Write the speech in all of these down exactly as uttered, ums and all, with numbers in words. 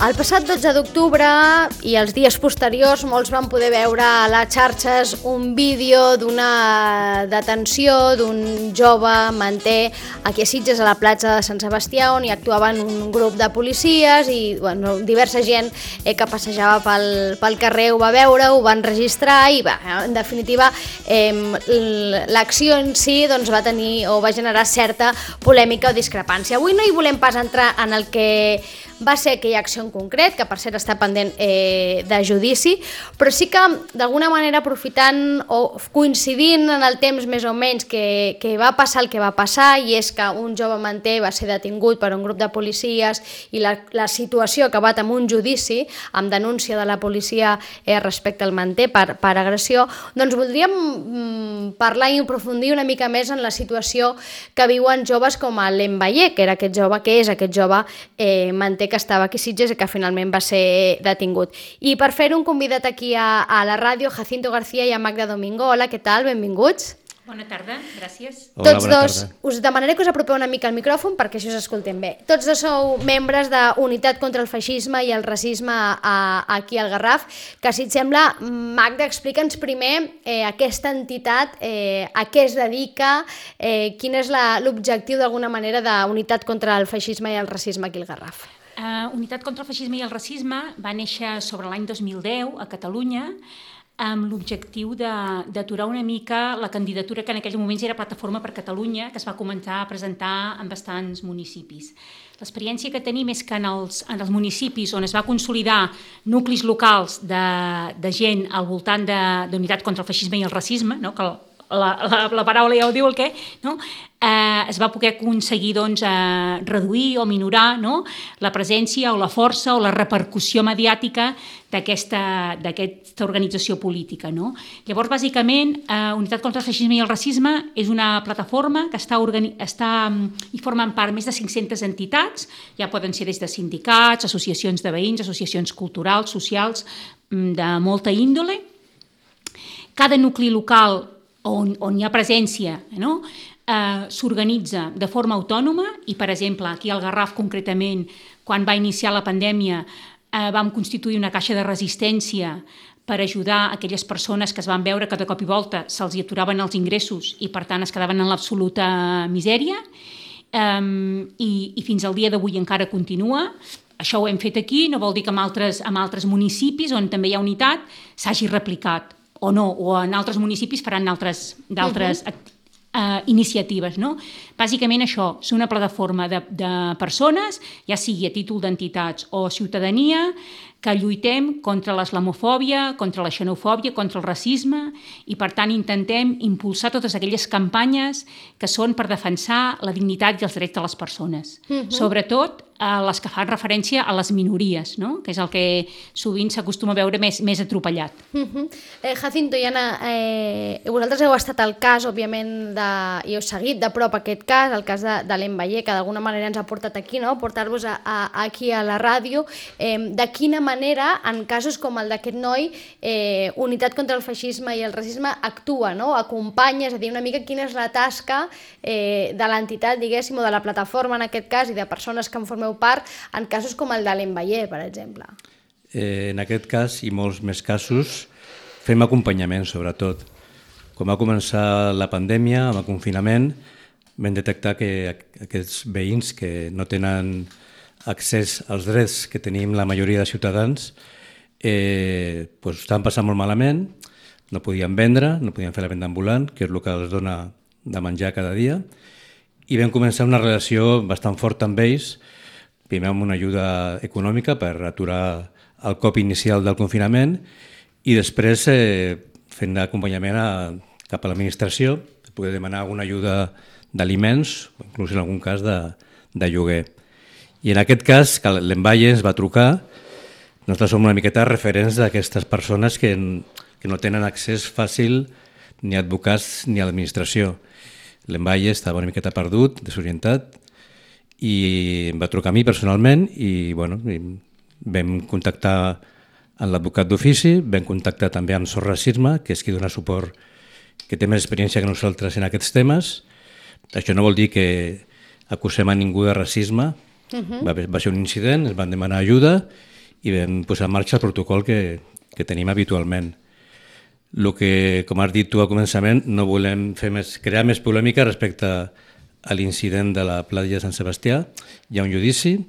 El passat dotze d'octubre i els dies posteriors molts van poder veure a les xarxes un vídeo d'una detenció d'un jove manter aquí a Sitges, a la platja de Sant Sebastià, on hi actuaven un grup de policies i bueno, diversa gent eh, que passejava pel, pel carrer ho va veure, ho van registrar i va, en definitiva eh, l'acció en si doncs, va tenir o va generar certa polèmica o discrepància. Avui no hi volem pas entrar en el que va ser aquella acció en concret, que per cert està pendent eh, de judici, però sí que d'alguna manera aprofitant o coincidint en el temps més o menys que, que va passar el que va passar, i és que un jove manter va ser detingut per un grup de policies i la, la situació ha acabat amb un judici, amb denúncia de la policia eh, respecte al manter per, per agressió, doncs voldríem mm, parlar i aprofundir una mica més en la situació que viuen joves com el Lembaye, que era aquest jove, que és aquest jove eh, manter que estava aquí a Sitges i que finalment va ser detingut. I per fer-ho un convidat aquí a, a la ràdio, Jacinto García i a Magda Domingo. Hola, què tal? Benvinguts. Bona tarda, gràcies. Hola, Tots dos, tarda. Us demanaré que us apropeu una mica al micròfon perquè això us escoltem bé. Tots dos sou membres de Unitat contra el Feixisme i el Racisme a, aquí al Garraf, que si et sembla, Magda, explica'ns primer eh, aquesta entitat, eh, a què es dedica, eh, quin és l'objectiu d'alguna manera de Unitat contra el Feixisme i el Racisme aquí al Garraf. Uh, Unitat contra el Feixisme i el Racisme va néixer sobre l'any dos mil deu a Catalunya amb l'objectiu d'aturar una mica la candidatura que en aquells moments era Plataforma per Catalunya, que es va començar a presentar en bastants municipis. L'experiència que tenim és que en els, en els municipis on es va consolidar nuclis locals de, de gent al voltant d'Unitat contra el Feixisme i el Racisme, no? que la, la, la paraula ja ho diu el què, no? Eh, es va poder aconseguir doncs, eh, reduir o minorar, no? la presència o la força o la repercussió mediàtica d'aquesta d'aquesta organització política. No? Llavors, bàsicament, eh, Unitat contra el Feixisme i el Racisme és una plataforma que està, organi està hi formen part més de cinc-centes entitats, ja poden ser des de sindicats, associacions de veïns, associacions culturals, socials, de molta índole. Cada nucli local on, on hi ha presència, no? Eh, s'organitza de forma autònoma i, per exemple, aquí al Garraf concretament, quan va iniciar la pandèmia, eh, vam constituir una caixa de resistència per ajudar aquelles persones que es van veure que de cop i volta se'ls aturaven els ingressos i, per tant, es quedaven en l'absoluta misèria. Eh, i, i fins al dia d'avui encara continua. Això ho hem fet aquí, no vol dir que en altres, en altres municipis on també hi ha unitat s'hagi replicat o no, o en altres municipis faran d'altres d'altres uh-huh. Uh, iniciatives. No? Bàsicament això, és una plataforma de, de persones, ja sigui a títol d'entitats o ciutadania, que lluitem contra l'islamofòbia, contra la xenofòbia, contra el racisme i, per tant, intentem impulsar totes aquelles campanyes que són per defensar la dignitat i els drets de les persones. Uh-huh. Sobretot eh, les que fan referència a les minories, no? que és el que sovint s'acostuma a veure més, més atropellat. Uh-huh. eh, Jacinto i Anna, eh, vosaltres heu estat al cas, òbviament, de, i heu seguit de prop aquest cas, el cas de, de Lembaye, que d'alguna manera ens ha portat aquí, no? portar-vos a, a, aquí a la ràdio. Eh, de quina manera, en casos com el d'aquest noi, eh, Unitat contra el Feixisme i el Racisme actua, no? acompanya, és a dir, una mica quina és la tasca eh, de l'entitat, diguéssim, o de la plataforma en aquest cas, i de persones que en formeu part, en casos com el de Lembaye, per exemple. Eh, en aquest cas, i molts més casos, fem acompanyament, sobretot. Quan va començar la pandèmia, amb el confinament, vam detectar que aquests veïns que no tenen accés als drets que tenim la majoria de ciutadans, eh, pues, estaven passant molt malament, no podien vendre, no podien fer la venda ambulant, que és el que els dona de menjar cada dia, i vam començar una relació bastant forta amb ells, primer amb una ajuda econòmica per aturar el cop inicial del confinament i després eh, fent acompanyament a, cap a l'administració, per poder demanar alguna ajuda d'aliments, inclús en algun cas de, de lloguer. I en aquest cas, que l'Lembaye ens va trucar, nosaltres som una miqueta referents d'aquestes persones que, que no tenen accés fàcil ni a advocats ni a l'administració. L'Lembaye estava una miqueta perdut, desorientat, i em va trucar a mi personalment i, bueno, i vam contactar amb l'advocat d'ofici, vam contactar també amb Sos Racisme, que és qui dona suport, que té més experiència que nosaltres en aquests temes. Això no vol dir que acusem a ningú de racisme. Uh-huh. va, va ser un incident, ens van demanar ajuda i vam posar en marxa el protocol que, que tenim habitualment. El que, com has dit tu al començament, no volem fer més, crear més polèmica respecte a l'incident de la platja de Sant Sebastià. Hi ha un judici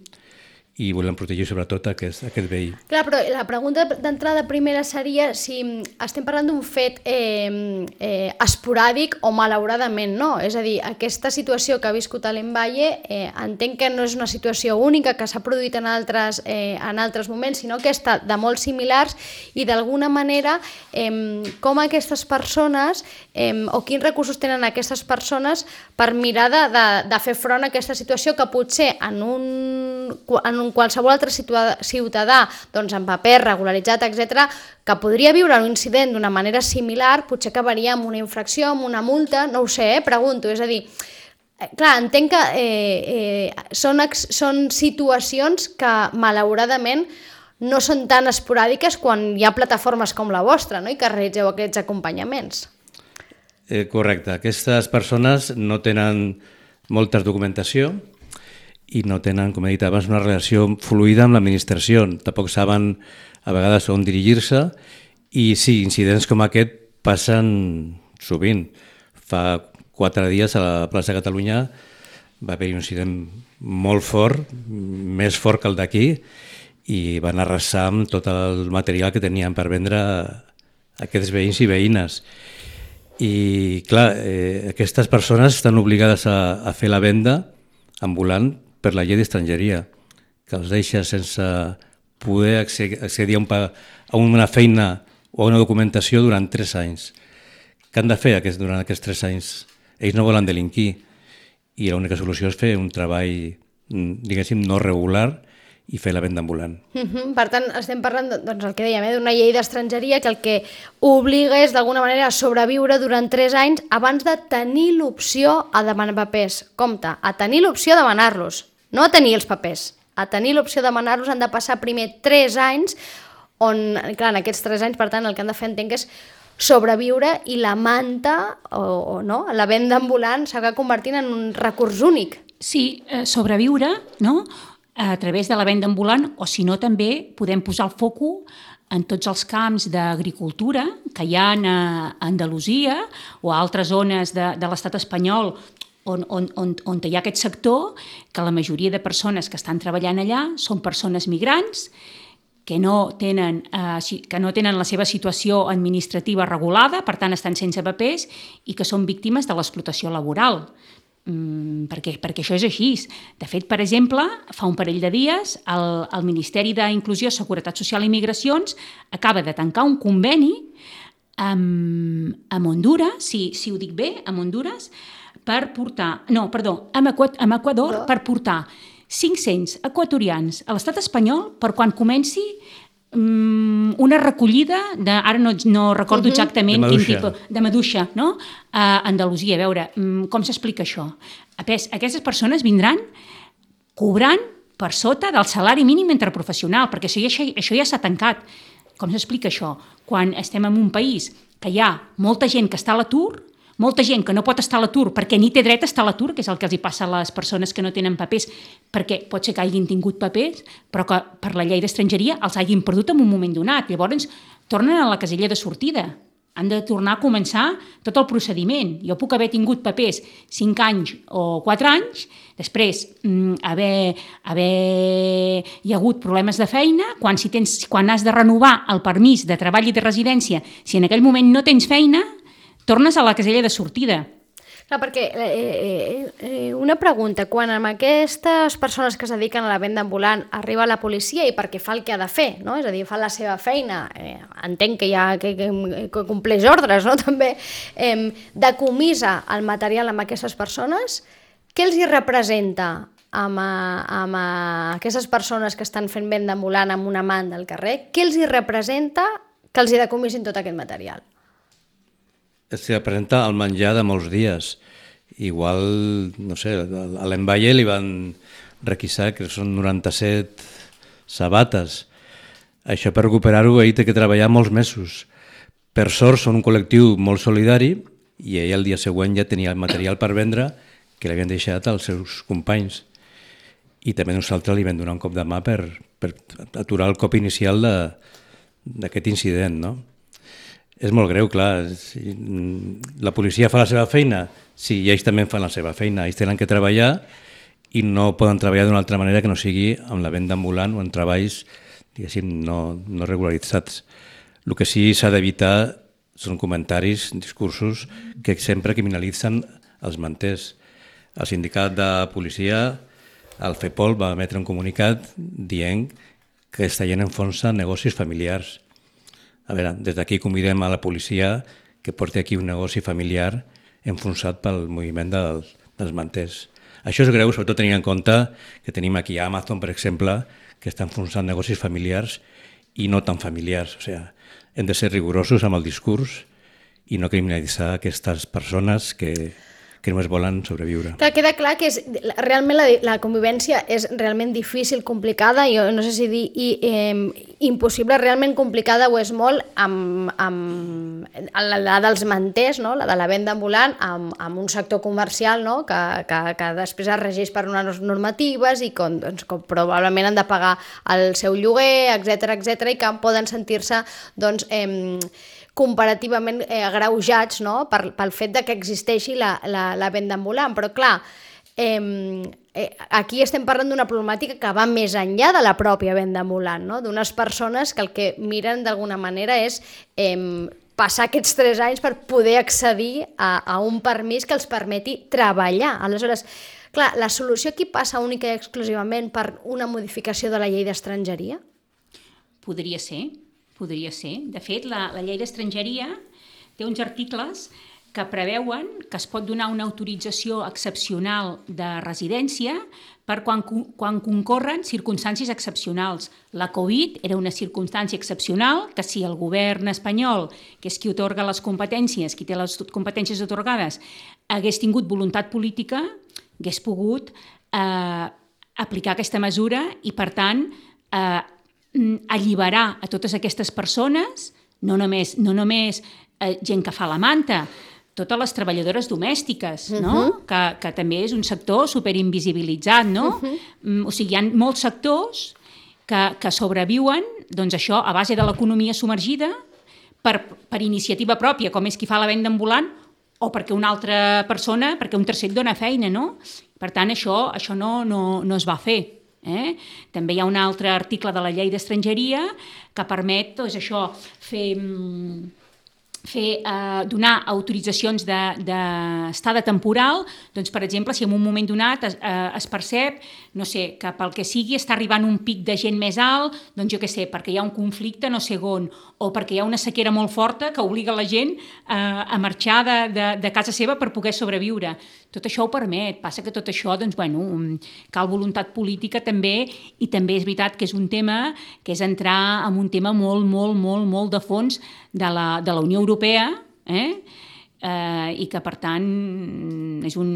i volem protegir sobretot aquest, aquest veí. Clar, però la pregunta d'entrada primera seria si estem parlant d'un fet eh, eh, esporàdic o malauradament no. És a dir, aquesta situació que ha viscut a l'Envalle eh, entenc que no és una situació única que s'ha produït en altres, eh, en altres moments, sinó que està de molt similars i d'alguna manera eh, com aquestes persones eh, o quins recursos tenen aquestes persones per mirar de, de, de fer front a aquesta situació que potser en un, en un qualsevol altre ciutadà doncs amb paper regularitzat, etcètera, que podria viure un incident d'una manera similar, potser acabaria amb una infracció, amb una multa, no ho sé, eh? Pregunto. És a dir, clar, entenc que eh, eh, són, són situacions que malauradament no són tan esporàdiques quan hi ha plataformes com la vostra, no? I que realitzeu aquests acompanyaments. Eh, correcte. Aquestes persones no tenen molta documentació i no tenen, com he dit abans, una relació fluida amb l'administració. Tampoc saben a vegades on dirigir-se i sí, incidents com aquest passen sovint. Fa quatre dies a la plaça de Catalunya va haver-hi un incident molt fort, més fort que el d'aquí, i van arrasar amb tot el material que tenien per vendre aquests veïns i veïnes. I clar, eh, aquestes persones estan obligades a, a fer la venda ambulant per la llei d'estrangeria, que els deixa sense poder accedir a, un, a una feina o a una documentació durant tres anys. Què han de fer aquest, durant aquests tres anys? Ells no volen delinquir i l'única solució és fer un treball, diguéssim, no regular i fer la venda ambulant. Uh-huh. Per tant, estem parlant, doncs, el que dèiem, eh, d'una llei d'estrangeria que el que obliga és d'alguna manera a sobreviure durant tres anys abans de tenir l'opció a demanar papers. Compte, a tenir l'opció de demanar-los, no a tenir els papers. A tenir l'opció de demanar-los han de passar primer tres anys on, clar, en aquests tres anys, per tant, el que han de fer, entenc, és sobreviure i la manta o, o no, la venda ambulant s'ha convertint en un recurs únic. Sí, eh, sobreviure, no?, a través de la venda ambulant, o si no també podem posar el foco en tots els camps d'agricultura que hi ha a Andalusia o a altres zones de, de l'estat espanyol on, on, on, on hi ha aquest sector, que la majoria de persones que estan treballant allà són persones migrants que no tenen, eh, que no tenen la seva situació administrativa regulada, per tant estan sense papers i que són víctimes de l'explotació laboral. Mm, perquè, perquè això és així. De fet, per exemple, fa un parell de dies el, el Ministeri d'Inclusió, Seguretat Social i Migracions acaba de tancar un conveni amb, amb Honduras, si, si ho dic bé, amb Honduras, per portar, no, perdó, amb, Equador, amb Equador no. per portar cinc-cents equatorians a l'estat espanyol per quan comenci una recollida de, ara no, no recordo uh-huh. exactament quin tipus, de maduixa, no? A Andalusia. A veure, com s'explica això? Aquestes persones vindran cobrant per sota del salari mínim interprofessional, perquè això ja, això ja s'ha tancat. Com s'explica això? Quan estem en un país que hi ha molta gent que està a l'atur, molta gent que no pot estar a l'atur perquè ni té dret a estar a l'atur, que és el que els hi passa a les persones que no tenen papers, perquè pot ser que hagin tingut papers, però que per la llei d'estrangeria els hagin perdut en un moment donat. Llavors tornen a la casella de sortida. Han de tornar a començar tot el procediment. Jo puc haver tingut papers cinc anys o quatre anys, després haver, haver hi ha hagut problemes de feina, quan, si tens, quan has de renovar el permís de treball i de residència, si en aquell moment no tens feina, tornes a la casella de sortida. Clar, perquè eh, eh, una pregunta, quan amb aquestes persones que es dediquen a la venda ambulant arriba la policia i perquè fa el que ha de fer, no? És a dir, fa la seva feina, eh, entenc que, ja, que, que, que compleix ordres, no? També eh, decomissa el material amb aquestes persones, què els hi representa amb, amb aquestes persones que estan fent venda ambulant amb una mà del carrer? Què els hi representa que els hi decomissin tot aquest material? Es representa el menjar de molts dies. Igual, no sé, a l'Envalle li van requisar que són noranta-set sabates. Això per recuperar-ho ell té que treballar molts mesos. Per sort són un col·lectiu molt solidari i ell el dia següent ja tenia el material per vendre que l'havien deixat als seus companys. I també nosaltres li vam donar un cop de mà per, per aturar el cop inicial d'aquest incident, no? És molt greu, clar. Si la policia fa la seva feina, sí, i ells també fan la seva feina. Ells tenen que treballar i no poden treballar d'una altra manera que no sigui amb la venda ambulant o en treballs, diguéssim, no, no regularitzats. El que sí s'ha d'evitar són comentaris, discursos que sempre criminalitzen els manters. El sindicat de policia, el FEPOL, va emetre un comunicat dient que està gent enfonsa negocis familiars. A veure, des d'aquí convidem a la policia que porti aquí un negoci familiar enfonsat pel moviment dels, dels manters. Això és greu, sobretot tenint en compte que tenim aquí Amazon, per exemple, que està enfonsant negocis familiars i no tan familiars. O sigui, hem de ser rigorosos amb el discurs i no criminalitzar aquestes persones que, que només volen sobreviure. Clar, queda clar que és, realment la, la convivència és realment difícil, complicada, jo no sé si dir i, eh, impossible, realment complicada ho és molt amb, amb la, la dels manters, no? La de la venda ambulant, amb, amb un sector comercial, no? que, que, que després es regeix per unes normatives i com, doncs, com probablement han de pagar el seu lloguer, etcètera, etcètera, i que poden sentir-se doncs, eh, comparativament eh, agreujats, no? per, pel fet de que existeixi la, la, la venda ambulant. Però clar, eh, eh, aquí estem parlant d'una problemàtica que va més enllà de la pròpia venda ambulant, no? D'unes persones que el que miren d'alguna manera és eh, passar aquests tres anys per poder accedir a, a un permís que els permeti treballar. Aleshores, clar, la solució aquí passa única i exclusivament per una modificació de la llei d'estrangeria? Podria ser. Podria ser. De fet, la, la llei d'estrangeria té uns articles que preveuen que es pot donar una autorització excepcional de residència per quan, quan concorren circumstàncies excepcionals. La Covid era una circumstància excepcional que si el govern espanyol, que és qui atorga les competències, qui té les competències atorgades, hagués tingut voluntat política, hagués pogut eh, aplicar aquesta mesura i, per tant, eh, alliberar a totes aquestes persones, no només, no només eh, gent que fa la manta, totes les treballadores domèstiques, no? Uh-huh. que, que també és un sector superinvisibilitzat, no? Uh-huh. O sigui, hi ha molts sectors que, que sobreviuen, doncs això, a base de l'economia submergida, per, per iniciativa pròpia, com és qui fa la venda ambulant, o perquè una altra persona, perquè un tercer et dona feina, no? Per tant, això, això no, no, no es va fer. Eh? També hi ha un altre article de la llei d'estrangeria que permet doncs, això, fer, fer, eh, donar autoritzacions d'estada temporal, doncs, per exemple, si en un moment donat es, eh, es percep, no sé, que pel que sigui està arribant un pic de gent més alt, doncs jo què sé, perquè hi ha un conflicte no sé on, o perquè hi ha una sequera molt forta que obliga la gent eh, a marxar de, de, de casa seva per poder sobreviure. Tot això ho permet, passa que tot això, doncs, bueno, cal voluntat política també, i també és veritat que és un tema que és entrar en un tema molt, molt, molt, molt de fons de la, de la Unió Europea, eh? Eh, i que per tant és un...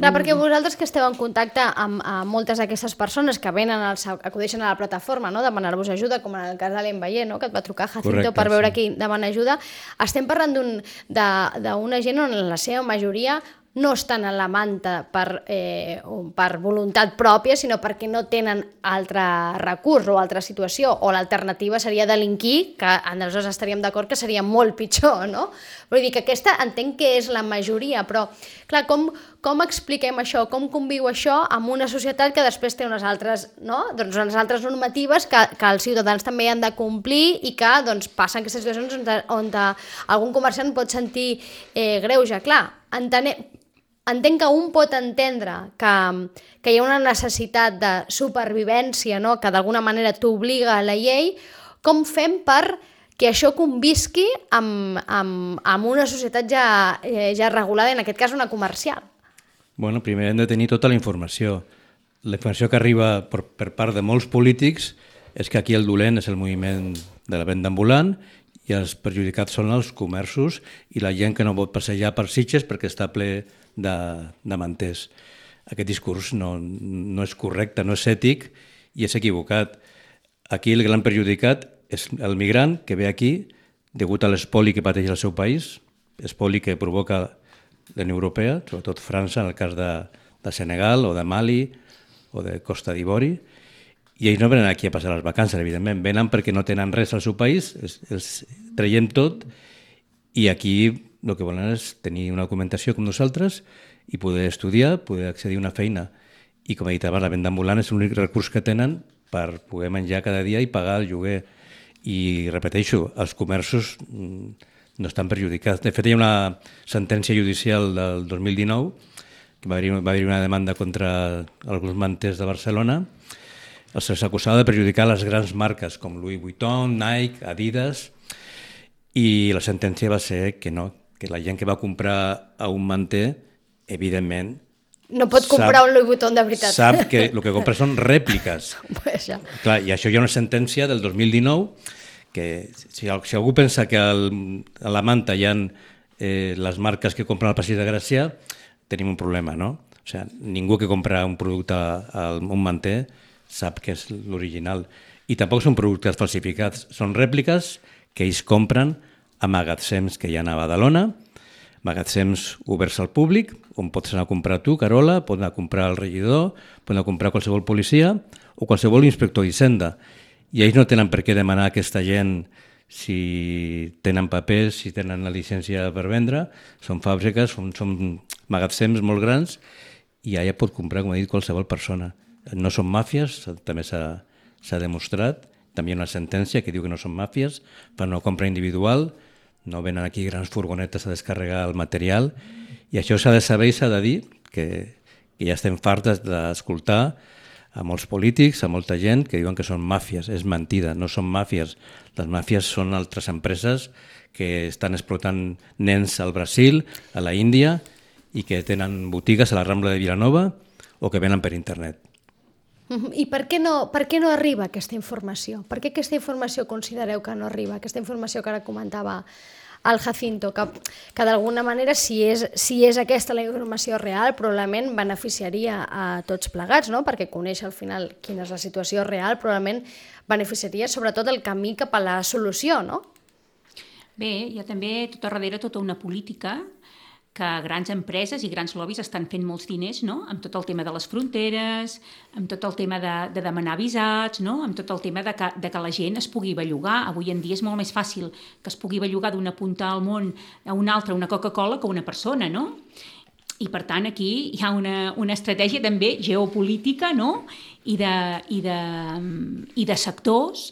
Clar, perquè vosaltres que esteu en contacte amb, amb moltes d'aquestes persones que venen, als, acudeixen a la plataforma, no? Demanar-vos ajuda, com en el cas de l'Envaller, no? Que et va trucar Jacinto. Correcte, per veure sí. Qui demana ajuda. Estem parlant d'una gent on la seva majoria no estan en la manta per, eh, per voluntat pròpia, sinó perquè no tenen altre recurs o altra situació, o l'alternativa seria delinquir, que aleshores estaríem d'acord que seria molt pitjor, no? Vull dir que aquesta entenc que és la majoria, però clar, com, com expliquem això, com conviu això amb una societat que després té unes altres, no? Doncs unes altres normatives que, que els ciutadans també han de complir i que doncs, passen aquestes situacions on, on algun comerciant pot sentir eh, greuge. Clar, entenem... Entenc que un pot entendre que, que hi ha una necessitat de supervivència, no? Que d'alguna manera t'obliga a la llei. Com fem per que això convisqui amb, amb, amb una societat ja, ja regulada, en aquest cas una comercial? Bueno, primer hem de tenir tota la informació. La informació que arriba per, per part de molts polítics és que aquí el dolent és el moviment de la venda ambulant i els perjudicats són els comerços i la gent que no pot passejar per Sitges perquè està ple de, de manters. Aquest discurs no, no és correcte, no és ètic i és equivocat. Aquí el gran perjudicat és el migrant que ve aquí degut a l'espoli que pateix el seu país, espoli que provoca la Unió Europea, sobretot França, en el cas de, de Senegal o de Mali o de Costa d'Ivori, I ells no venen aquí a passar les vacances, evidentment. Venen perquè no tenen res al seu país, els, els traiem tot, i aquí el que volen és tenir una documentació com nosaltres i poder estudiar, poder accedir a una feina. I com he dit abans, la venda ambulant és l'únic recurs que tenen per poder menjar cada dia i pagar el lloguer. I repeteixo, els comerços no estan perjudicats. De fet, hi ha una sentència judicial del dos mil dinou que va haver-hi va haver una demanda contra alguns manters de Barcelona. Els acusava de perjudicar les grans marques com Louis Vuitton, Nike, Adidas, i la sentència va ser que no, que la gent que va comprar a un manter, evidentment, no pot comprar sap, un Louis Vuitton de veritat. Sap que el que compra són rèpliques. Pues ja. Clar, i això hi ha una sentència del dos mil dinou que si, si algú pensa que al, a la manta hi ha eh, les marques que compren al Passeig de Gràcia, tenim un problema, no? O sigui, ningú que compra un producte a un manter sap que és l'original. I tampoc són productes falsificats, són rèpliques que ells compren a magatzems que hi ha a Badalona, magatzems oberts al públic, on pots anar a comprar tu, Carola, pots anar a comprar el regidor, pots anar a comprar qualsevol policia o qualsevol inspector d'Hisenda. I ells no tenen per què demanar a aquesta gent si tenen papers, si tenen la llicència per vendre, són fàbriques, són, són magatzems molt grans i allà pot comprar, com he dit, qualsevol persona. No són màfies, també s'ha demostrat, també hi ha una sentència que diu que no són màfies, fan una compra individual, no venen aquí grans furgonetes a descarregar el material, i això s'ha de saber i s'ha de dir, que, que ja estem fartes d'escoltar a molts polítics, a molta gent que diuen que són màfies. És mentida, no són màfies. Les màfies són altres empreses que estan explotant nens al Brasil, a la Índia, i que tenen botigues a la Rambla de Vilanova o que venen per internet. I per què no, per què no arriba aquesta informació? Per què aquesta informació considereu que no arriba? Aquesta informació que ara comentava el Jacinto, que, que d'alguna manera, si és, si és aquesta la informació real, probablement beneficiaria a tots plegats, no? Perquè conèixer al final quina és la situació real probablement beneficiaria sobretot el camí cap a la solució, no? Bé, hi ha també tot a darrere tota una política que grans empreses i grans lobbies estan fent molts diners, no? Amb tot el tema de les fronteres, amb tot el tema de, de demanar visats, no? Amb tot el tema de que, de que la gent es pugui bellugar. Avui en dia és molt més fàcil que es pugui bellugar d'una punta al món a una altra, una Coca-Cola, que una persona, no? I per tant aquí hi ha una, una estratègia també geopolítica, no? I de, i de, i de sectors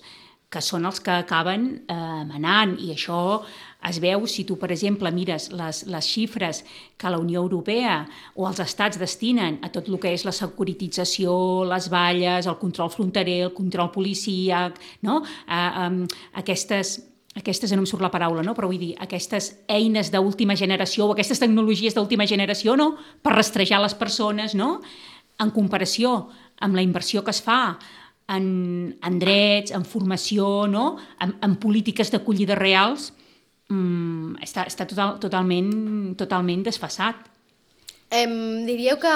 que són els que acaben eh, manant, i això es veu si tu, per exemple, mires les, les xifres que la Unió Europea o els estats destinen a tot el que és la securitització, les valles, el control fronterer, el control policíac, no? Eh, eh, aquestes... aquestes, no em surt la paraula, no? Però vull dir, aquestes eines d'última generació o aquestes tecnologies d'última generació, no? Per rastrejar les persones, no? En comparació amb la inversió que es fa en, en drets, en formació, no? en, en polítiques d'acollida reals, mmm, està, està total, totalment, totalment desfasat. Eh, diríeu que,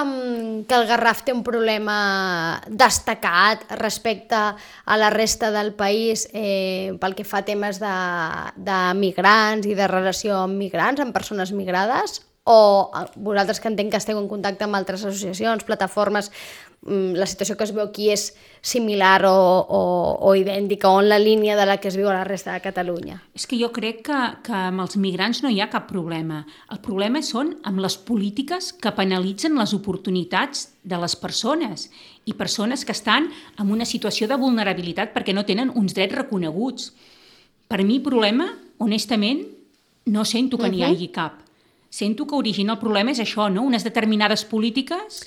que el Garraf té un problema destacat respecte a la resta del país eh, pel que fa a temes de, de migrants i de relació amb migrants, amb persones migrades? O vosaltres, que entenc que esteu en contacte amb altres associacions, plataformes, la situació que es veu aquí és similar o, o, o idèntica, o en la línia de la que es viu a la resta de Catalunya? És que jo crec que, que amb els migrants no hi ha cap problema. El problema són amb les polítiques que penalitzen les oportunitats de les persones, i persones que estan en una situació de vulnerabilitat perquè no tenen uns drets reconeguts. Per mi, problema, honestament, no sento que n'hi hagi cap. Sento que origina el problema és això, no? Unes determinades polítiques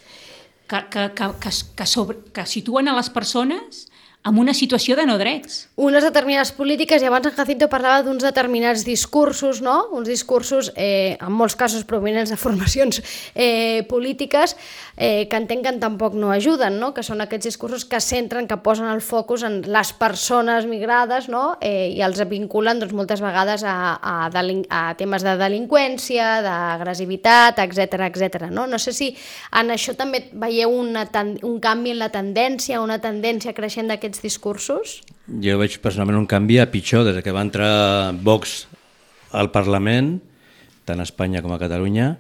que, que, que, que, que, sobre, que situen a les persones en una situació de no drets. Unes determinades polítiques, i abans en Jacinto parlava d'uns determinats discursos, no? Uns discursos, eh, en molts casos provenents de formacions eh, polítiques, eh, que entenc que tampoc no ajuden, no? Que són aquests discursos que centren, que posen el focus en les persones migrades, no? Eh, i els vinculen doncs, moltes vegades a, a, delin- a temes de delinqüència, d'agressivitat, etcètera, etcètera, no? No sé si en això també veieu una ten- un canvi en la tendència, una tendència creixent d'aquests discursos? Jo veig personalment un canvi a pitjor des que va entrar Vox al Parlament, tant a Espanya com a Catalunya,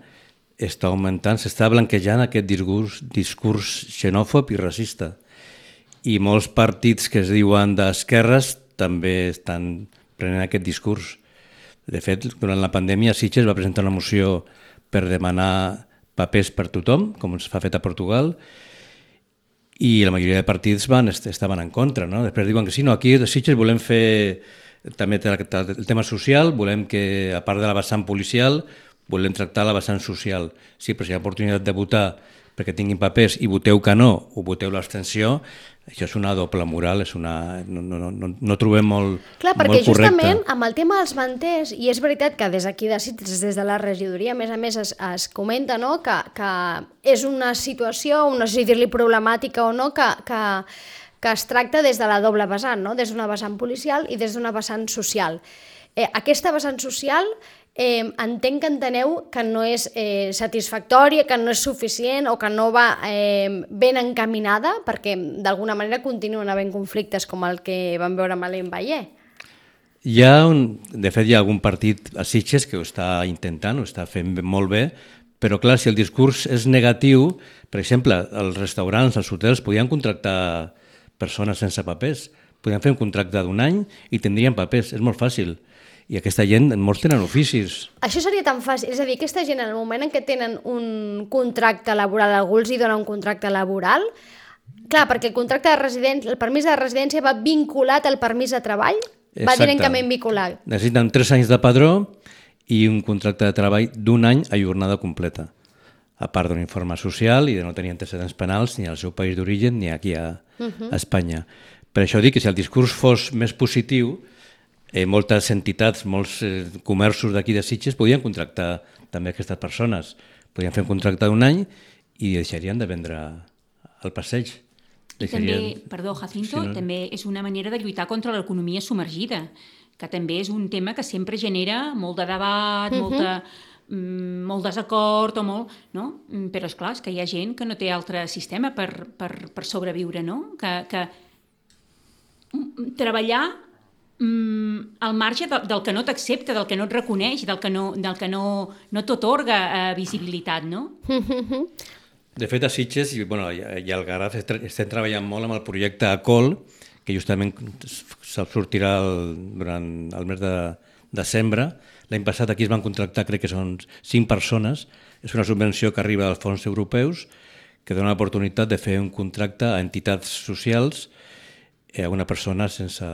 està augmentant, s'està blanquejant aquest discurs, discurs xenòfob i racista. i molts partits que es diuen d'esquerres també estan prenent aquest discurs. De fet, durant la pandèmia Sitges va presentar una moció per demanar papers per tothom, com es fa fet a Portugal, i la majoria de partits van, estaven en contra. No? Després diuen que sí, no, aquí a Sitges volem fer també el tema social, volem que, a part de la vessant policial, volem tractar la vessant social. Sí, però si hi ha oportunitat de votar perquè tinguin papers i voteu que no o voteu l'abstenció, això és una doble moral, és una... no, no, no, no trobem molt, Clar, perquè molt correcte. justament amb el tema dels manters, i és veritat que des d'aquí de Sitges, des de la regidoria, a més a més es, es comenta, no?, que, que és una situació, no sé si dir-li problemàtica o no, que, que, que es tracta des de la doble vessant, no?, des d'una vessant policial i des d'una vessant social. Eh, aquesta vessant social eh, entenc que enteneu que no és eh, satisfactòria, que no és suficient o que no va eh, ben encaminada, perquè d'alguna manera continuen havent conflictes com el que vam veure amb Alain Vallée. Hi ha un, de fet, hi ha algun partit a Sitges que ho està intentant, ho està fent molt bé, però clar, si el discurs és negatiu, per exemple, els restaurants, els hotels podien contractar persones sense papers, podien fer un contracte d'un any i tindrien papers, és molt fàcil. I aquesta gent, molts tenen oficis. Això seria tan fàcil, és a dir, aquesta gent en el moment en què tenen un contracte laboral, algú els hi dona un contracte laboral, clar, perquè el contracte de residència, el permís de residència va vinculat al permís de treball, Exacte. Va directament vinculat. Necessiten tres anys de padró i un contracte de treball d'un any a jornada completa, a part d'un informe social i de no tenir antecedents penals ni al seu país d'origen ni aquí a, uh-huh. a Espanya. Per això dic que si el discurs fos més positiu, Eh, moltes entitats, molts eh, comerços d'aquí de Sitges podien contractar també aquestes persones. Podien fer un contracte d'un any i deixarien de vendre al passeig. Deixarien... També, perdó, Jacinto, sí, no? també és una manera de lluitar contra l'economia submergida, que també és un tema que sempre genera molt de debat, uh-huh. molta, mm, molt desacord, o molt, no? Però és clar, és que hi ha gent que no té altre sistema per, per, per sobreviure, no? Que, que treballar al marge del que no t'accepta, del que no et reconeix, del que no, del que no, no t'atorga eh, visibilitat, no? De fet, a Sitges i, bueno, i al Garraf estem treballant molt amb el projecte ACOL, que justament sortirà el, durant el mes de desembre. L'any passat aquí es van contractar, crec que són cinc persones. És una subvenció que arriba dels fons europeus que dona l'oportunitat de fer un contracte a entitats socials a una persona sense,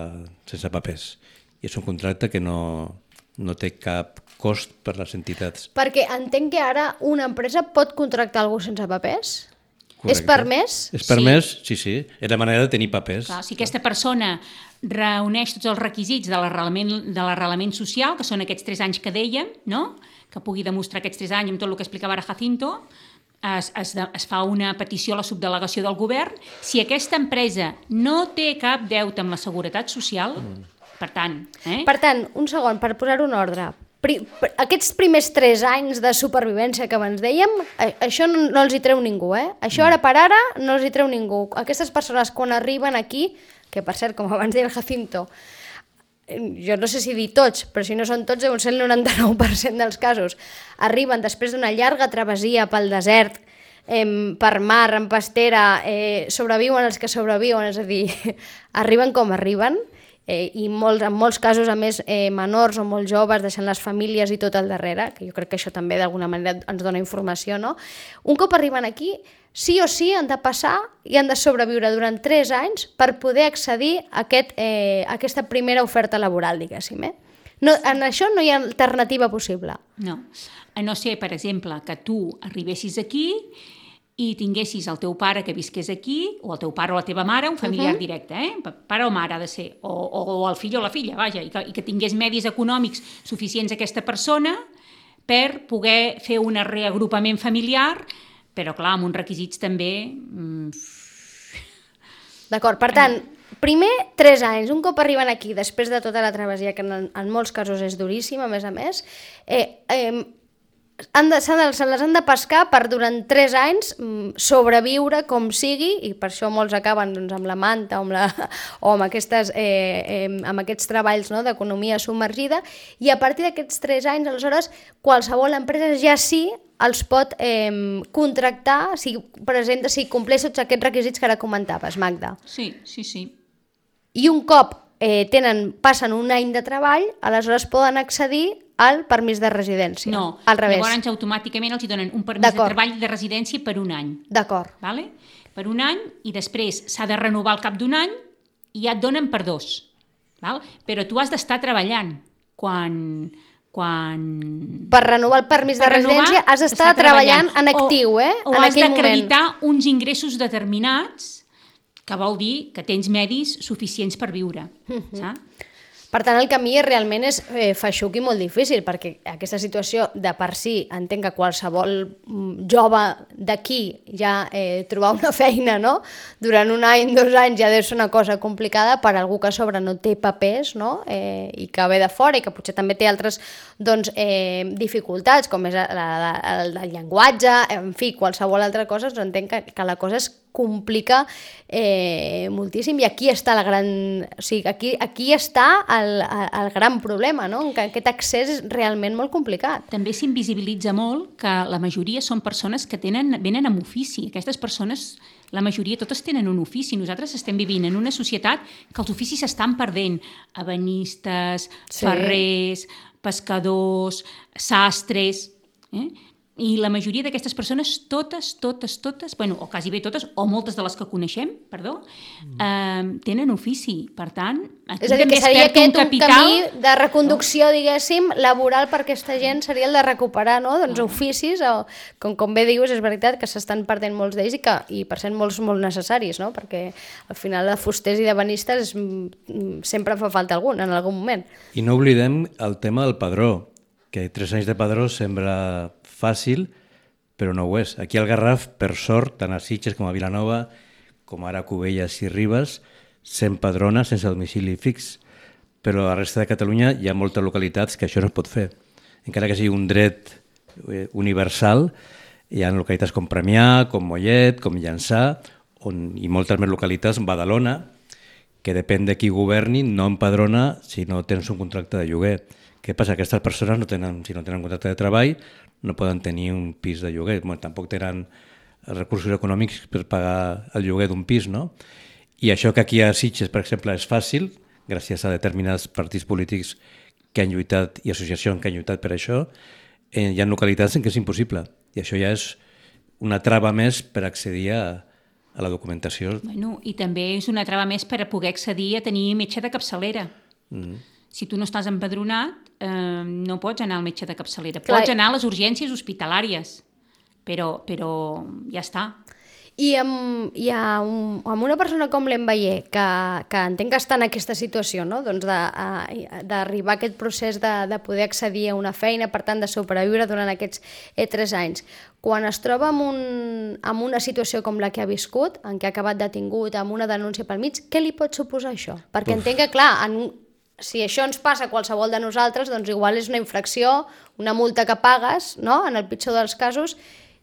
sense papers. I és un contracte que no, no té cap cost per les entitats. Perquè entenc que ara una empresa pot contractar algú sense papers? Correcte. És permès? És permès, sí, sí. sí. És la manera de tenir papers. Clar, si aquesta persona reuneix tots els requisits de l'arrelament social, que són aquests tres anys que dèiem, no? Que pugui demostrar aquests tres anys amb tot el que explicava ara Jacinto, Es, es, es fa una petició a la subdelegació del govern. Si aquesta empresa no té cap deute amb la Seguretat Social, mm. per tant... Eh? Per tant, un segon, per posar-ho en ordre. Pri, per, aquests primers tres anys de supervivència que abans dèiem, a, això no, no els hi treu ningú, eh? Això ara per ara no els hi treu ningú. Aquestes persones quan arriben aquí, que per cert, com abans deia el Jacinto, jo no sé si dir tots, però si no són tots, deu ser el noranta-nou per cent dels casos, arriben després d'una llarga travessia pel desert, eh, per mar, en pastera, eh, sobreviuen els que sobreviuen, és a dir, arriben com arriben, eh, i molts, en molts casos, a més, eh, menors o molt joves, deixant les famílies i tot al darrere, que jo crec que això també d'alguna manera ens dona informació, no? Un cop arriben aquí, sí o sí han de passar i han de sobreviure durant tres anys per poder accedir a, aquest, eh, a aquesta primera oferta laboral, diguéssim. Eh? No, en això no hi ha alternativa possible. No. A no ser, per exemple, que tu arribessis aquí i tinguessis el teu pare que visqués aquí, o el teu pare o la teva mare, un familiar uh-huh. directe, eh? Pare o mare ha de ser, o, o, o el fill o la filla, vaja, i que, i que tingués medis econòmics suficients aquesta persona per poder fer un reagrupament familiar, però clar, amb uns requisits també... D'acord, per tant, primer tres anys, un cop arriben aquí, després de tota la travessia, que en, en molts casos és duríssima, a més a més, eh, eh, han de, s'han de, se les han de pescar per durant tres anys sobreviure com sigui, i per això molts acaben doncs, amb la manta o amb, la, o amb, aquestes, eh, eh, amb aquests treballs, no?, d'economia submergida, i a partir d'aquests tres anys, aleshores, qualsevol empresa ja sí els pot eh, contractar si presenta, si compleix tots aquests requisits que ara comentaves, Magda. Sí, sí, sí. I un cop eh, tenen, passen un any de treball, aleshores poden accedir al permís de residència. No, al revés. llavors automàticament els donen un permís de treball de residència per un any. D'acord. Vale? Per un any, i després s'ha de renovar al cap d'un any i ja et donen per dos. Val? Però tu has d'estar treballant quan... quan... Per renovar el permís de residència has d'estar treballant en actiu, eh? O, o has d'acreditar uns ingressos determinats, que vol dir que tens medis suficients per viure. Mm-hmm. Saps? Per tant, el camí realment és eh, feixuc i molt difícil, perquè aquesta situació de per si entenc que qualsevol jove d'aquí ja eh, trobar una feina, no?, durant un any, dos anys ja deu ser una cosa complicada per a algú que a sobre no té papers, no?, eh, i que ve de fora i que potser també té altres doncs, eh, dificultats, com és la, la, el, el llenguatge, en fi, qualsevol altra cosa, doncs entenc que, que la cosa es complica eh, moltíssim, i aquí està la gran... O sigui, aquí, aquí està el, el gran problema, no?, que aquest accés és realment molt complicat. També s'invisibilitza molt que la majoria són persones que tenen, venen amb ofici. Aquestes persones, la majoria, totes tenen un ofici. Nosaltres estem vivint en una societat que els oficis s'estan perdent. Ebenistes, sí. ferrers, pescadors, sastres... Eh? I la majoria d'aquestes persones, totes, totes, totes, bueno, o quasi bé totes, o moltes de les que coneixem, perdó, eh, tenen ofici. Per tant, aquí és a dir, també que seria es perd un capital... un camí de reconducció, diguéssim, laboral per aquesta gent, seria el de recuperar, no?, doncs oficis, o, com, com bé dius, és veritat que s'estan perdent molts d'ells i que, i per cent molts molt necessaris, no?, perquè al final de fusters i d'ebenistes sempre fa falta algun, en algun moment. I no oblidem el tema del padró, que tres anys de padró sembla fàcil, però no ho és. Aquí al Garraf, per sort, tant a Sitges com a Vilanova, com ara a Cubelles i Ribes, s'empadrona sense domicili fix. Però a la resta de Catalunya hi ha moltes localitats que això no es pot fer. Encara que sigui un dret universal, hi ha localitats com Premià, com Mollet, com Llançà, on, i moltes més localitats, Badalona, que depèn de qui governi, no empadrona si no tens un contracte de lloguer. Què passa? Aquestes persones, no tenen, si no tenen contracte de treball, no poden tenir un pis de lloguer. Bueno, tampoc tenen recursos econòmics per pagar el lloguer d'un pis, no? I això que aquí a Sitges, per exemple, és fàcil, gràcies a determinats partits polítics que han lluitat i associacions que han lluitat per això, eh, hi ha localitats en què és impossible. I això ja és una trava més per accedir a, a la documentació. Bueno, i també és una trava més per a poder accedir a tenir metge de capçalera. Mm. Si tu no estàs empadronat, eh, no pots anar al metge de capçalera. Clar. Pots anar a les urgències hospitalàries, però, però ja està. I amb, i amb, amb una persona com l'Enveier, que, que entenc que està en aquesta situació, no?, doncs d'arribar a aquest procés de, de poder accedir a una feina, per tant de sobreviure durant aquests eh, tres anys, quan es troba en, un, en una situació com la que ha viscut, en què ha acabat detingut amb una denúncia pel mig, què li pot suposar això? Perquè Uf. entenc que, clar, en, si això ens passa a qualsevol de nosaltres, doncs igual és una infracció, una multa que pagues, no?, en el pitjor dels casos,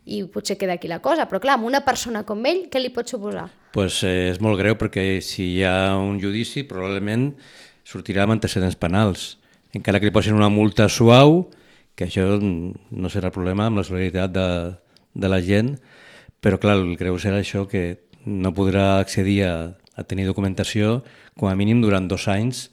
i potser queda aquí la cosa. Però clar, amb una persona com ell, què li pot suposar? Pues, eh, és molt greu, perquè si hi ha un judici, probablement sortirà amb antecedents penals. Encara que li posin una multa suau, que això no serà problema amb la solidaritat de, de la gent, però clar, el greu serà això, que no podrà accedir a, a tenir documentació com a mínim durant dos anys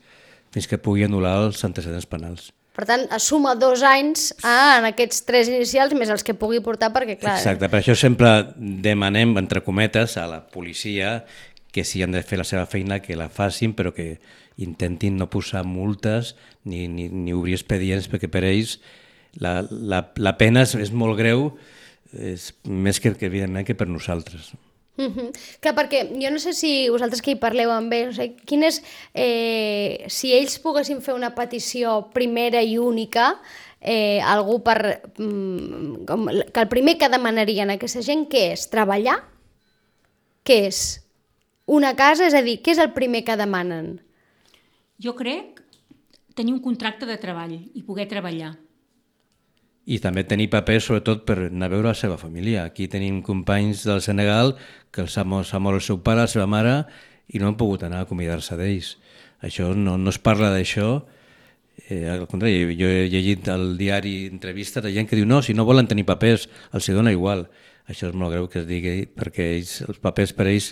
fins que pugui anul·lar els antecedents penals. Per tant, suma dos anys ah, en aquests tres inicials més els que pugui portar, perquè clar... Exacte, per això sempre demanem, entre cometes, a la policia que si han de fer la seva feina, que la facin, però que intentin no posar multes ni, ni, ni obrir expedients, perquè per ells la, la, la pena és, és molt greu, és més que, que evidentment que per nosaltres. Mm-hmm. Clar, perquè jo no sé si vosaltres que hi parleu amb ells, no sé, quin és, eh, si ells poguessin fer una petició primera i única, eh, algú per, mm, com, que el primer que demanarien a aquesta gent, què és? Treballar? Què és? Una casa? És a dir, què és el primer que demanen? Jo crec tenir un contracte de treball i poder treballar. i també tenir papers, sobretot, per anar a veure la seva família. Aquí tenim companys del Senegal que s'ha mort, mort el seu pare, la seva mare, i no han pogut anar a acomiadar-se d'ells. Això no, no es parla d'això. Eh, al contrari, jo he llegit al diari entrevistes de gent que diu no, si no volen tenir papers, els hi dona igual. Això és molt greu que es digui, perquè ells, els papers per ells,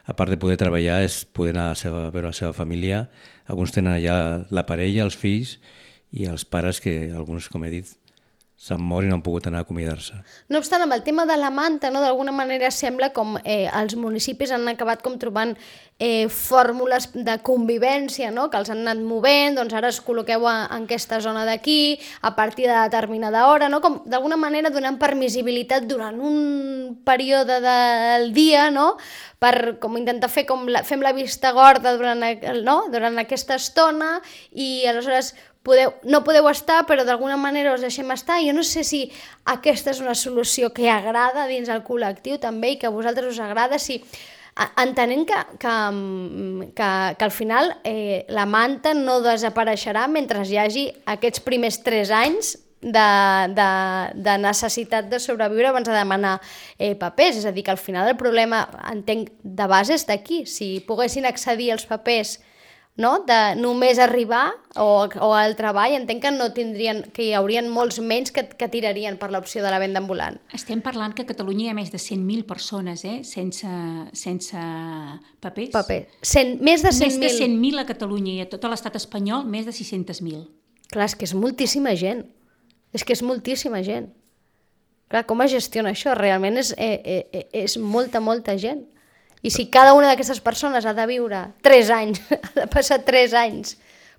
a part de poder treballar, és poder anar a, seva, a veure la seva família. Alguns tenen allà la parella, els fills, i els pares que alguns, com he dit, s'han mort i no han pogut anar a acomiadar-se. No obstant, amb el tema de la manta, no, d'alguna manera sembla com eh, els municipis han acabat com trobant eh, fórmules de convivència, no, que els han anat movent, doncs ara es col·loqueu a, en aquesta zona d'aquí, a partir de determinada hora, no, com d'alguna manera donant permissibilitat durant un període del dia, no, per com intentar fer com la, fem la vista gorda durant, no, durant aquesta estona i aleshores podeu, no podeu estar, però d'alguna manera us deixem estar. Jo no sé si aquesta és una solució que agrada dins el col·lectiu també i que a vosaltres us agrada, si entenent que, que, que, que al final eh, la manta no desapareixerà mentre hi hagi aquests primers tres anys de, de, de necessitat de sobreviure abans de demanar eh, papers. És a dir, que al final el problema, entenc, de base és d'aquí. Si poguessin accedir als papers, no? De només arribar o, o al treball, entenc que no tindrien, que hi haurien molts menys que, que tirarien per l'opció de la venda ambulant. Estem parlant que a Catalunya hi ha més de cent mil persones eh, sense, sense papers. Paper. cent, més de cent mil. Més de cent mil a Catalunya i a tot l'estat espanyol més de sis-cents mil. Clar, és que és moltíssima gent. És que és moltíssima gent. Clar, com es gestiona això? Realment és, eh, eh, és molta, molta gent. I si cada una d'aquestes persones ha de viure tres anys, ha de passar tres anys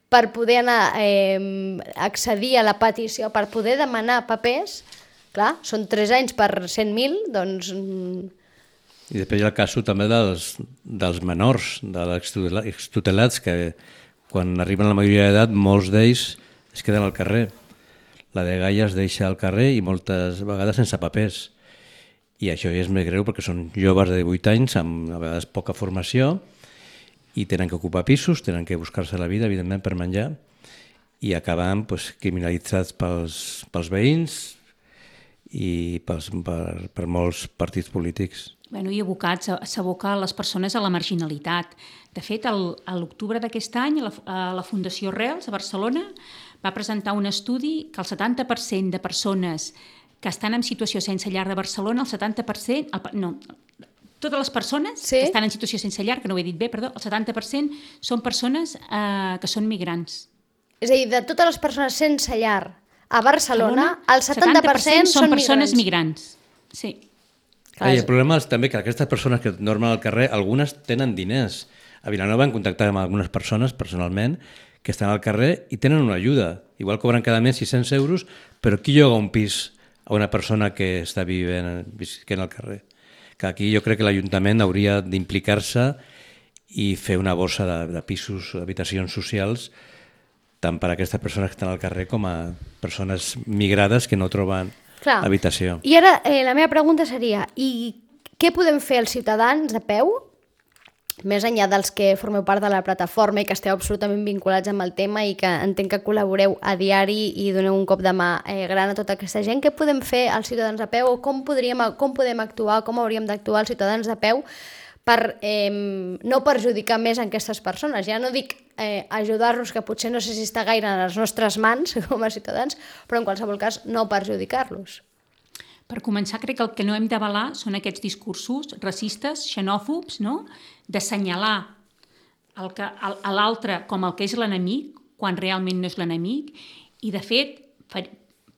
per poder anar eh, accedir a la petició, per poder demanar papers, clar, són tres anys per cent mil, doncs... I després hi ha el cas també dels, dels menors, dels extutelats, que quan arriben a la majoria d'edat, molts d'ells es queden al carrer. La dgaia es deixa al carrer i moltes vegades sense papers. I això ja és més greu perquè són joves de divuit anys amb a vegades poca formació i tenen que ocupar pisos, tenen que buscar-se la vida, evidentment, per menjar i acaben pues, criminalitzats pels, pels veïns i pels, per, per molts partits polítics. Bueno, i abocats a s'abocar les persones a la marginalitat. De fet, el, a l'octubre d'aquest any, la, la Fundació Rels, a Barcelona, va presentar un estudi que el setanta per cent de persones que estan en situació sense llar de Barcelona, el setanta per cent... El, no, totes les persones sí? que estan en situació sense llar, que no ho he dit bé, perdó, el setanta per cent són persones eh, que són migrants. És a dir, de totes les persones sense llar a Barcelona, el setanta per cent són persones migrants. migrants. Sí. Ah, i el problema és també que aquestes persones que dormen al carrer, algunes tenen diners. A Vilanova hem contactat amb algunes persones, personalment, que estan al carrer i tenen una ajuda. Igual cobren cada mes sis-cents euros, però qui lloga un pis a una persona que està vivint, vivint al carrer? Que aquí jo crec que l'Ajuntament hauria d'implicar-se i fer una borsa de, de pisos, d'habitacions socials, tant per a aquestes persones que estan al carrer com a persones migrades que no troben Clar. habitació. I ara eh, la meva pregunta seria, i què podem fer els ciutadans de peu, més enllà dels que formeu part de la plataforma i que esteu absolutament vinculats amb el tema i que entenc que col·laboreu a diari i doneu un cop de mà eh, gran a tota aquesta gent, què podem fer els ciutadans de peu o com, podríem, com podem actuar, com hauríem d'actuar els ciutadans de peu per eh, no perjudicar més a aquestes persones? Ja no dic eh, ajudar-los, que potser no sé si està gaire en les nostres mans com a ciutadans, però en qualsevol cas no perjudicar-los. Per començar, crec que el que no hem d'avalar són aquests discursos racistes, xenòfobs, no? D'assenyalar el que, a, a l'altre com el que és l'enemic, quan realment no és l'enemic. I, de fet, fa,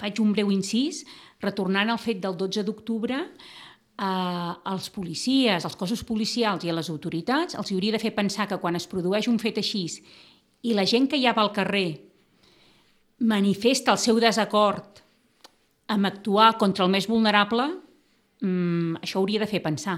faig un breu incís, retornant al fet del dotze d'octubre, eh, als policies, als cossos policials i a les autoritats, els hauria de fer pensar que quan es produeix un fet així i la gent que hi ha al carrer manifesta el seu desacord amb actuar contra el més vulnerable, mmm, això hauria de fer pensar.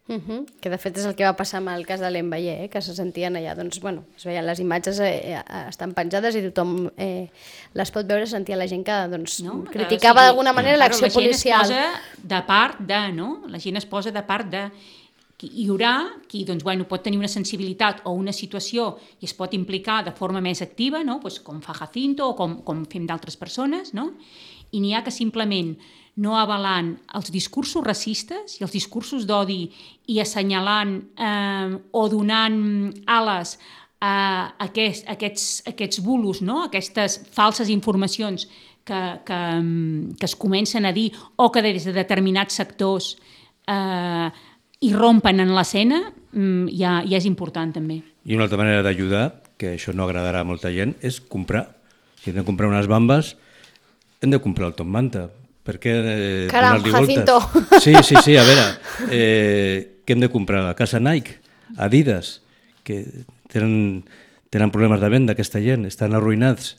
Uh-huh. Que de fet és el que va passar amb el cas de l'Enveller, eh? Que se sentien allà, doncs, bueno, es veien les imatges, eh, estan penjades i tothom eh, les pot veure, sentia la gent que doncs, no? criticava o sigui, d'alguna manera claro, l'acció policial. La gent es posa de part de, no? La gent es posa de part de... Hi haurà qui doncs, bueno, pot tenir una sensibilitat o una situació i es pot implicar de forma més activa, no? Pues com fa Jacinto o com, com fem d'altres persones, no? i n'hi ha que simplement no avalant els discursos racistes i els discursos d'odi i assenyalant eh, o donant ales a aquest, aquests, aquests bulos, no? Aquestes falses informacions que, que, que es comencen a dir o que des de determinats sectors eh, irrompen en l'escena, ja, ja és important també. I una altra manera d'ajudar, que això no agradarà a molta gent, és comprar. Si hem de comprar unes bambes, hem de comprar el Tom Manta. Per què eh, Caram, Jacinto. Sí, sí, sí, a veure, eh, què hem de comprar? A casa Nike, Adidas, que tenen, tenen problemes de venda aquesta gent, estan arruïnats.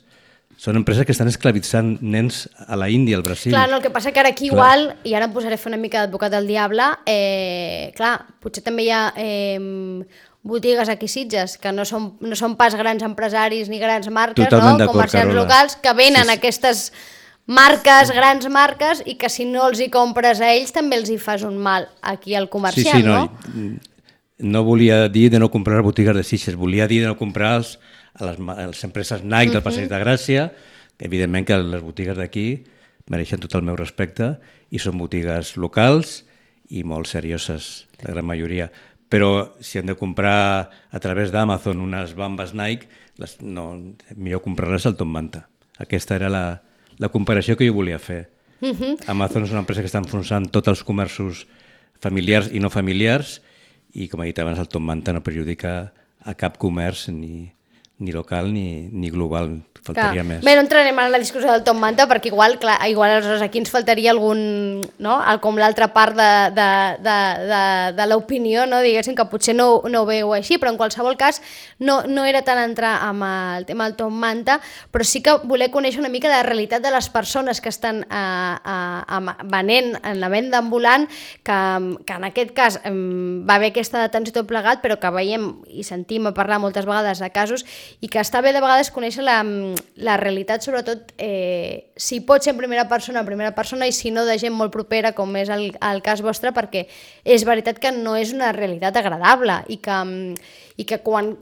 Són empreses que estan esclavitzant nens a la Índia, al Brasil. Clar, no, el que passa que ara aquí clar. Igual, i ara em posaré a fer una mica d'advocat del diable, eh, clar, potser també hi ha eh, botigues aquí a Sitges, que no són, no són pas grans empresaris ni grans marques, totalment no? Comerciants locals, que venen sí, sí. aquestes marques, grans marques, i que si no els hi compres a ells també els hi fas un mal aquí al comerciant, sí, sí, no? no? No volia dir de no comprar botigues de Sitges, volia dir de no comprar els, a les, a les empreses Nike del Passeig de Gràcia, que evidentment que les botigues d'aquí mereixen tot el meu respecte i són botigues locals i molt serioses, la gran majoria. Però si hem de comprar a través d'Amazon unes bambes Nike, les, no, millor comprar-les al Tom Manta. Aquesta era la, la comparació que jo volia fer. Uh-huh. Amazon és una empresa que està enfonsant tots els comerços familiars i no familiars i, com he dit abans, el Tom Manta no perjudica a cap comerç ni, ni local ni, ni global, faltaria clar. Més. Bé, no entrarem en la discussió del Tom Manta perquè igual, clar, igual aleshores aquí ens faltaria algun, no? Com l'altra part de, de, de, de, de l'opinió, no? Diguéssim que potser no, no ho veu així, però en qualsevol cas no, no era tant entrar amb el tema del Tom Manta, però sí que voler conèixer una mica la realitat de les persones que estan a, a, a, venent en la venda ambulant, que, que en aquest cas va haver aquesta detenció tot plegat, però que veiem i sentim a parlar moltes vegades de casos i que està bé de vegades conèixer la la realitat, sobretot, eh, si pot ser en primera persona, en primera persona, i si no de gent molt propera, com és el, el cas vostre, perquè és veritat que no és una realitat agradable i que, i que quan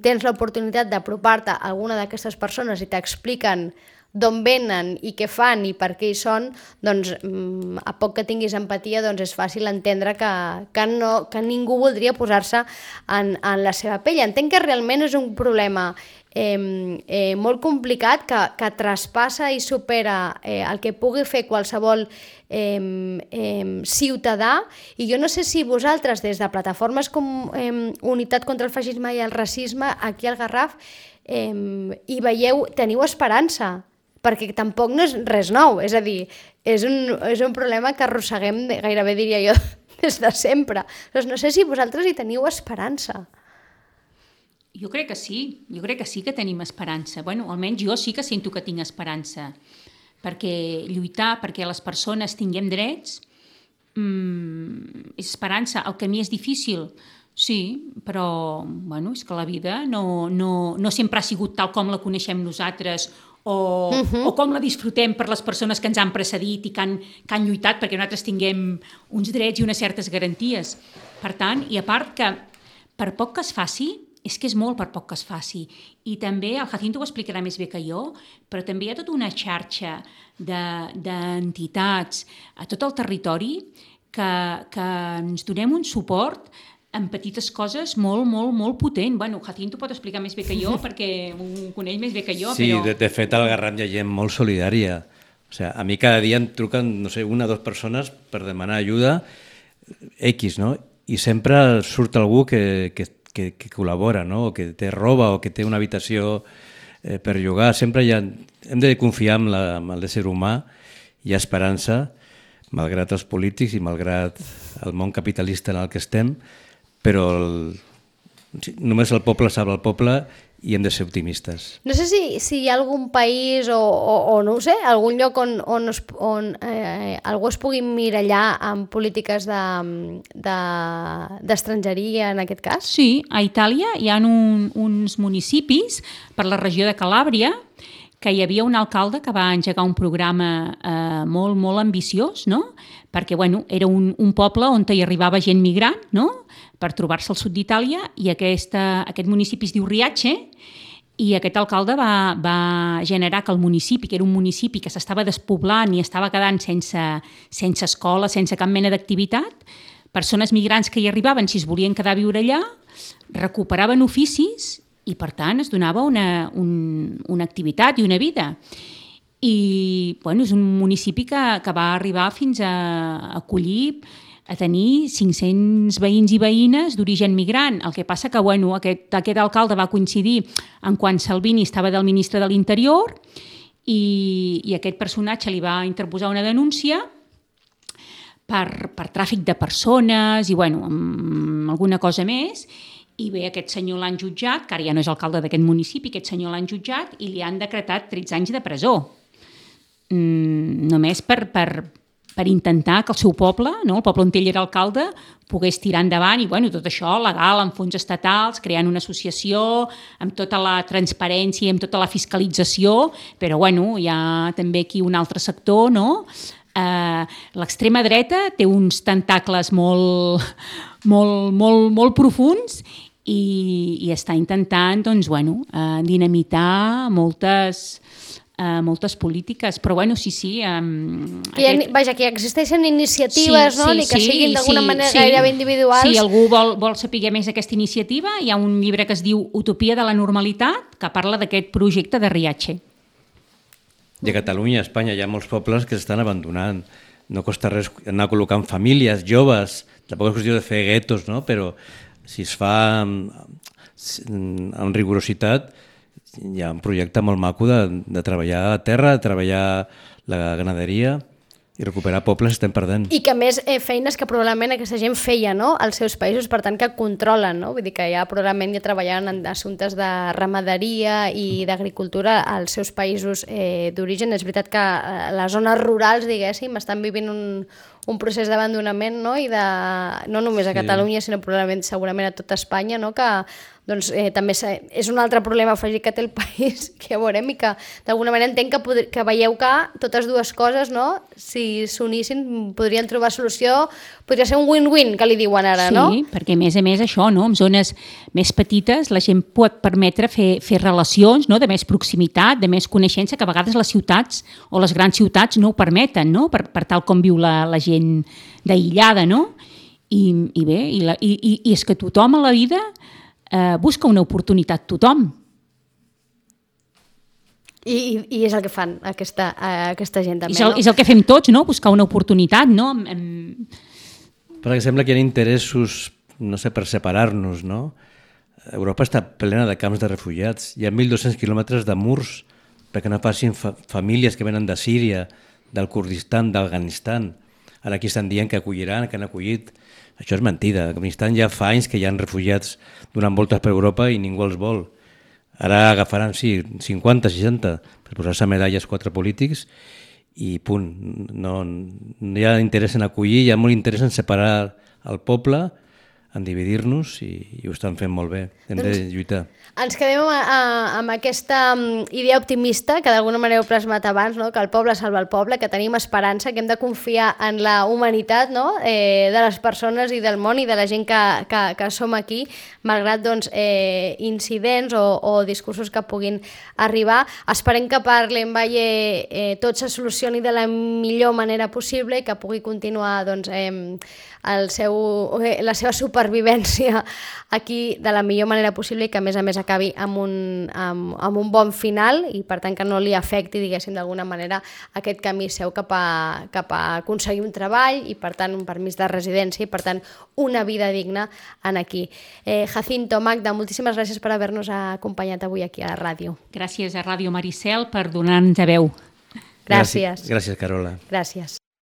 tens l'oportunitat d'apropar-te a alguna d'aquestes persones i t'expliquen d'on venen i què fan i per què hi són, doncs a poc que tinguis empatia doncs és fàcil entendre que, que, no, que ningú voldria posar-se en, en la seva pell. Entenc que realment és un problema eh, eh, molt complicat que, que traspassa i supera eh, el que pugui fer qualsevol eh, eh, ciutadà, i jo no sé si vosaltres des de plataformes com eh, Unitat contra el Feixisme i el Racisme aquí al Garraf eh, hi veieu, teniu esperança, perquè tampoc no és res nou, és a dir, és un, és un problema que arrosseguem, gairebé diria jo, des de sempre. Doncs no sé si vosaltres hi teniu esperança. Jo crec que sí, jo crec que sí que tenim esperança. Bueno, almenys jo sí que sento que tinc esperança, perquè lluitar perquè les persones tinguem drets mmm, és esperança. El camí és difícil, sí, però bueno, és que la vida no, no, no sempre ha sigut tal com la coneixem nosaltres o, uh-huh. o com la disfrutem per les persones que ens han precedit i que han, que han lluitat perquè nosaltres tinguem uns drets i unes certes garanties. Per tant, i a part que per poc que es faci, és que és molt per poc que es faci. I també, el Jacinto ho explicarà més bé que jo, però també hi ha tota una xarxa d'entitats de, a tot el territori que, que ens donem un suport en petites coses molt, molt, molt potent. Bueno, Jacinto pot explicar més bé que jo, perquè ho coneix més bé que jo, sí, però... Sí, de, de fet, al Garraf hi ha gent molt solidària. O sigui, a mi cada dia em truquen, no sé, una o dues persones per demanar ajuda, X, no? I sempre surt algú que, que, que, que col·labora, no? O que té roba o que té una habitació eh, per llogar. Sempre hi ha... Hem de confiar en, la, en l'ésser humà, hi ha esperança, malgrat els polítics i malgrat el món capitalista en el que estem, però el, només el poble sap el poble i hem de ser optimistes. No sé si, si hi ha algun país o, o, o no ho sé, algun lloc on, on, es, on eh, algú es pugui mirallar amb polítiques de, de, d'estrangeria en aquest cas? Sí, a Itàlia hi ha un, uns municipis per la regió de Calàbria que hi havia un alcalde que va engegar un programa eh, molt, molt ambiciós, no? Perquè bueno, era un, un poble on hi arribava gent migrant, no? Per trobar-se al sud d'Itàlia, i aquesta, aquest municipi es diu Riace, i aquest alcalde va, va generar que el municipi, que era un municipi que s'estava despoblant i estava quedant sense, sense escola, sense cap mena d'activitat, persones migrants que hi arribaven, si es volien quedar a viure allà, recuperaven oficis i, per tant, es donava una, un, una activitat i una vida. I bueno, és un municipi que, que va arribar fins a acollir, a tenir cinc-cents veïns i veïnes d'origen migrant. El que passa que bueno, aquest, aquest alcalde va coincidir en quan Salvini estava del ministre de l'Interior i, i aquest personatge li va interposar una denúncia per, per tràfic de persones i bueno, amb alguna cosa més. I bé, aquest senyor l'han jutjat, que ara ja no és alcalde d'aquest municipi, aquest senyor l'han jutjat i li han decretat tretze anys de presó. Mm, només per... per per intentar que el seu poble, no, el poble on ell era alcalde, pogués tirar endavant i bueno, tot això legal, amb fons estatals, creant una associació, amb tota la transparència, amb tota la fiscalització, però bueno, hi ha també aquí un altre sector, no? Eh, l'extrema dreta té uns tentacles molt, molt, molt, molt profunds i, i està intentant doncs, bueno, eh, dinamitar moltes... Uh, moltes polítiques, però bueno, sí, sí. Um, que aquest... ha, vaja, que existeixen iniciatives, sí, no? Sí, Ni que sí, siguin d'alguna sí, manera sí. gairebé individuals. Si algú vol, vol saber més aquesta iniciativa, hi ha un llibre que es diu Utopia de la normalitat, que parla d'aquest projecte de Riache. I a Catalunya, a Espanya, hi ha molts pobles que s'estan abandonant. No costa res anar col·locant famílies, joves, tampoc és qüestió de fer guetos, no? Però si es fa amb, amb rigorositat, hi ha un projecte molt maco de, de treballar a la terra, de treballar la ganaderia i recuperar pobles que estem perdent. I que a més eh, feines que probablement aquesta gent feia, no?, als seus països, per tant que controlen, no? Vull dir que ja probablement ja treballaven en assumptes de ramaderia i d'agricultura als seus països eh, d'origen. És veritat que a les zones rurals, diguéssim, estan vivint un, un procés d'abandonament, no?, i de, no només a Catalunya, sí, sinó probablement segurament a tota Espanya, no?, que doncs, eh, també és un altre problema afegit que té el país, que ja veurem, i que d'alguna manera entenc que, pod- que veieu que totes dues coses, no?, si s'unissin podrien trobar solució, podria ser un win-win, que li diuen ara, sí, no? Sí, perquè a més a més això, no?, en zones més petites la gent pot permetre fer, fer relacions, no?, de més proximitat, de més coneixença, que a vegades les ciutats o les grans ciutats no ho permeten, no?, per, per tal com viu la, la gent d'aïllada, no? I, i bé, i, la, i, i, i és que tothom a la vida eh, busca una oportunitat, tothom. I, i, i és el que fan aquesta, aquesta gent també, és el, no? És el que fem tots, no?, buscar una oportunitat, no? Em... Perquè sembla que hi ha interessos, no sé, per separar-nos, no? Europa està plena de camps de refugiats. Hi ha mil dos-cents quilòmetres de murs perquè no facin fa famílies que venen de Síria, del Kurdistan, d'Afganistan. Ara aquí estan dient que acolliran, que han acollit. Això és mentida. A Afganistan ja fa anys que hi ha refugiats donant voltes per Europa i ningú els vol. Ara agafaran, sí, cinquanta, seixanta, per posar-se medalles quatre polítics i punt. No, no hi ha interès en acollir, hi ha molt interès en separar el poble, en dividir-nos i, i ho estan fent molt bé. Hem doncs, de lluitar. Ens quedem a, a, amb aquesta idea optimista que d'alguna manera heu plasmat abans, no? Que el poble salva el poble, que tenim esperança, que hem de confiar en la humanitat, no? eh, de les persones i del món i de la gent que, que, que som aquí, malgrat doncs, eh, incidents o, o discursos que puguin arribar. Esperem que per l'Envalle eh, tot se solucioni de la millor manera possible i que pugui continuar doncs, eh, el seu, la seva supervivència aquí de la millor manera possible i que a més a més acabi amb un, amb, amb un bon final i per tant que no li afecti, diguéssim, d'alguna manera aquest camí seu cap a, cap a aconseguir un treball i per tant un permís de residència i per tant una vida digna en aquí. Eh, Jacinto, Magda, moltíssimes gràcies per haver-nos acompanyat avui aquí a la ràdio. Gràcies a Ràdio Maricel per donar-nos a veu. Gràcies. Gràcies, Carola. Gràcies.